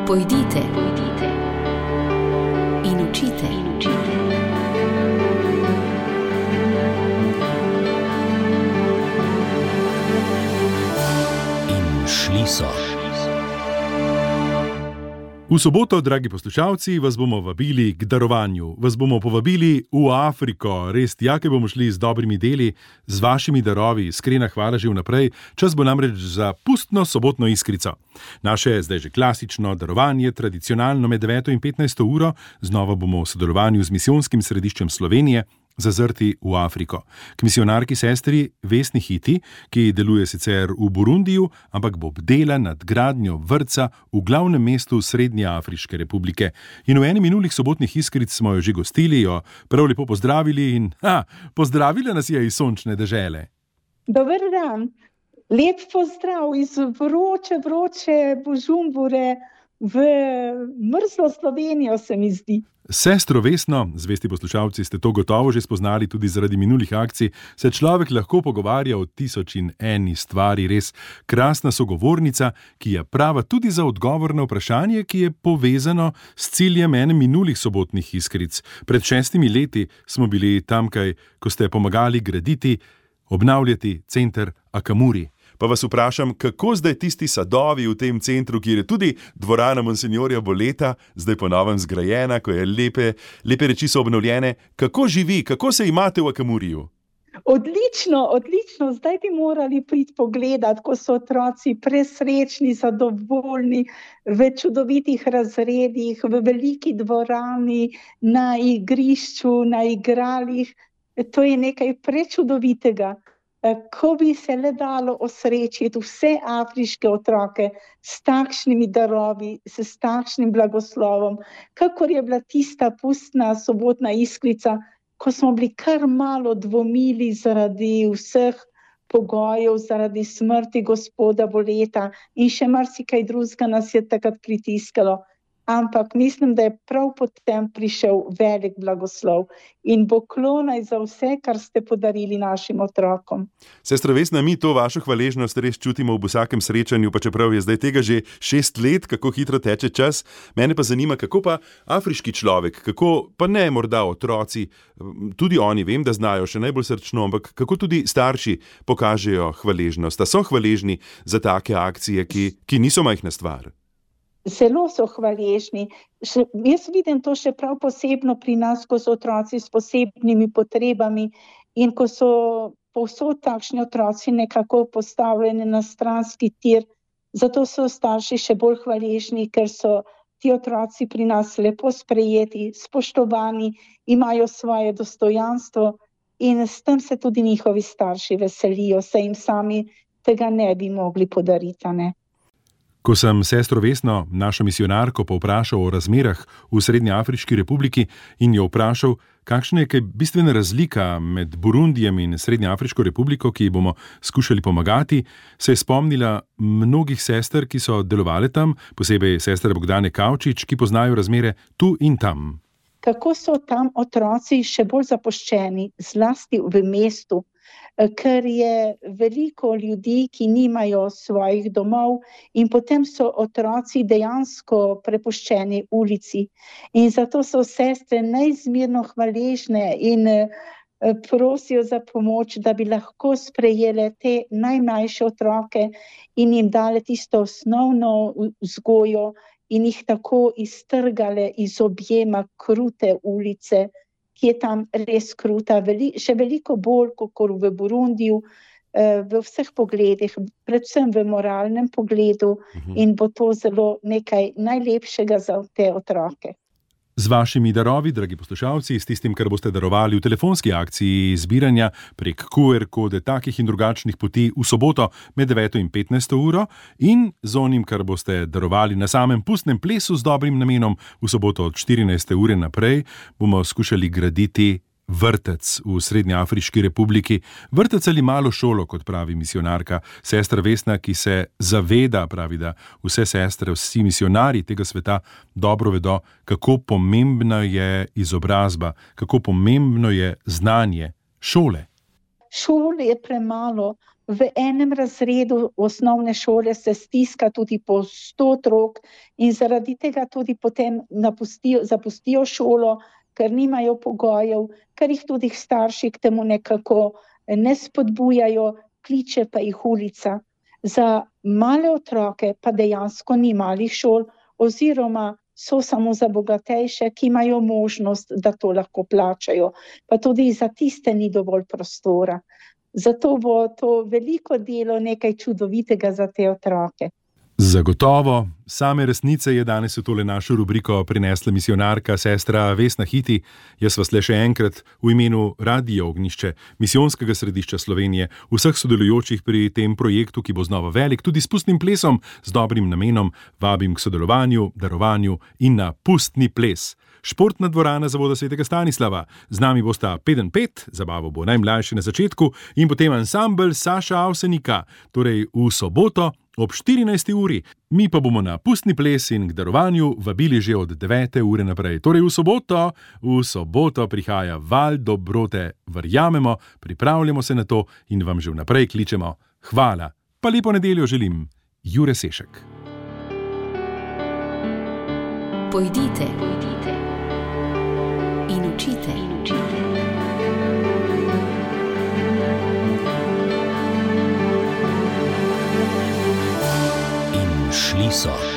Pojdite in učite. In šli so. V soboto, dragi poslušalci, vas bomo vabili k darovanju. Vas bomo povabili v Afriko. Res, tjake bomo šli z dobrimi deli, z vašimi darovi. Iskrena hvala že vnaprej. Čas bo namreč za pustno sobotno iskrico. Naše zdaj že klasično darovanje, tradicionalno med 9 in 15 uro. Znova bomo v sodelovanju z Misijonskim središčem Slovenije zazrti v Afriko. K misijonarki sestri Vesni Hiti, ki deluje sicer v Burundiju, ampak bo bdela nad gradnjo vrtca v glavnem mestu Srednje Afriške republike. In v eni minulih sobotnih iskric smo jo že gostili, jo prav lepo pozdravili in pozdravila nas je iz sončne dežele. Dober dan, lep pozdrav iz vroče Bužumbure v mrzlo Slovenijo, se mi zdi. Sestro Vesno, zvesti poslušalci, ste to gotovo že spoznali tudi zaradi minulih akcij, se človek lahko pogovarja o 1001 stvari, res krasna sogovornica, ki je prava tudi za odgovor na vprašanje, ki je povezano s ciljem ene minulih sobotnih iskric. Pred 6 leti smo bili tamkaj, ko ste pomagali graditi, obnavljati center Akamuri. Pa vas vprašam, kako zdaj tisti sadovi v tem centru, kjer je tudi dvorana Monsinjorja Boleta, zdaj po novem zgrajena, ko je lepe reči so obnovljene, kako živi, kako se imate v Akamuriju? Odlično, zdaj bi morali priti pogledat, ko so otroci presrečni, zadovoljni, v čudovitih razredih, v veliki dvorani, na igrišču, na igralih. To je nekaj prečudovitega. Ko bi se le dalo osrečiti vse afriške otroke s takšnimi darovi, s takšnim blagoslovom, kakor je bila tista pustna sobotna iskrica, ko smo bili kar malo dvomili zaradi vseh pogojev, zaradi smrti gospoda Boleta in še marsikaj drugega nas je takrat pritiskalo. Ampak mislim, da je prav potem prišel velik blagoslov in poklonaj za vse, kar ste podarili našim otrokom. Sestra Vesna, mi to vašo hvaležnost res čutimo v vsakem srečanju, pa čeprav je zdaj tega že 6 let, kako hitro teče čas. Mene pa zanima, kako pa afriški človek, kako pa ne morda otroci, tudi oni vem, da znajo še najbolj srčno, ampak kako tudi starši pokažejo hvaležnost, da so hvaležni za take akcije, ki niso majhna stvar. Zelo so hvaležni. Jaz vidim to še prav posebno pri nas, ko so otroci s posebnimi potrebami in ko so povsod takšni otroci nekako postavljeni na stranski tir. Zato so starši še bolj hvaležni, ker so ti otroci pri nas lepo sprejeti, spoštovani, imajo svoje dostojanstvo in s tem se tudi njihovi starši veselijo, se jim sami tega ne bi mogli podariti, ne? Ko sem sestro Vesno, našo misijonarko, povprašal o razmerah v Srednji Afriški republiki in jo vprašal, kakšna je kaj bistvena razlika med Burundijem in Srednjo Afriško republiko, ki ji bomo skušali pomagati, se je spomnila mnogih sester, ki so delovale tam, posebej sestre Bogdane Kavčič, ki poznajo razmere tu in tam. Kako so tam otroci še bolj zapuščeni, zlasti v mestu, ker je veliko ljudi, ki nimajo svojih domov in potem so otroci dejansko prepuščeni ulici. In zato so sestre neizmerno hvaležne in prosijo za pomoč, da bi lahko sprejele te najmlajše otroke in jim dale tisto osnovno vzgojo in jih tako iztrgale iz objema krute ulice, ki je tam res kruta, še veliko bolj kot v Burundiju, v vseh pogledih, predvsem v moralnem pogledu in bo to zelo nekaj najlepšega za te otroke. Z vašimi darovi, dragi poslušalci, s tistim, kar boste darovali v telefonski akciji zbiranja prek QR kode takih in drugačnih poti v soboto med 9 in 15 uro in z onim, kar boste darovali na samem pustnem plesu z dobrim namenom v soboto od 14. ure naprej, bomo skušali graditi vrtec v Srednji Afriški republiki. Vrtec ali malo šolo, kot pravi misijonarka sestra Vesna, ki se zaveda, pravi, da vse sestre, vsi misijonari tega sveta dobro vedo, kako pomembna je izobrazba, kako pomembno je znanje šole. Šole je premalo. v enem razredu osnovne šole se stiska tudi po 100 otrok in zaradi tega tudi potem zapustijo šolo, ker nimajo pogojev, ker jih tudi starši k temu nekako ne spodbujajo, kliče pa jih ulica. Za male otroke pa dejansko ni malih šol oziroma so samo za bogatejše, ki imajo možnost, da to lahko plačajo. Pa tudi za tiste ni dovolj prostora. Zato bo to veliko delo, nekaj čudovitega za te otroke. Zagotovo. Same resnice je danes v tole našo rubriko prinesla misionarka sestra Vesna Hiti. Jaz vas le še enkrat v imenu Radia Ognjišče, misijonskega središča Slovenije, vseh sodelujočih pri tem projektu, ki bo znova velik, tudi s pustnim plesom, z dobrim namenom, vabim k sodelovanju, darovanju in na pustni ples. Športna dvorana Zavoda svetega Stanislava. Z nami bosta 5-5, zabavo bo najmlajši na začetku, in potem ansambel Saša Avsenika, torej v soboto ob 14. uri. Mi pa bomo na pustni ples in k darovanju vabili že od 9. ure naprej. Torej v soboto prihaja val dobrote. Verjamemo, pripravljamo se na to in vam že vnaprej kličemo hvala. Pa lepo nedeljo želim. Jure Sešek. Pojdite in učite. In šli so.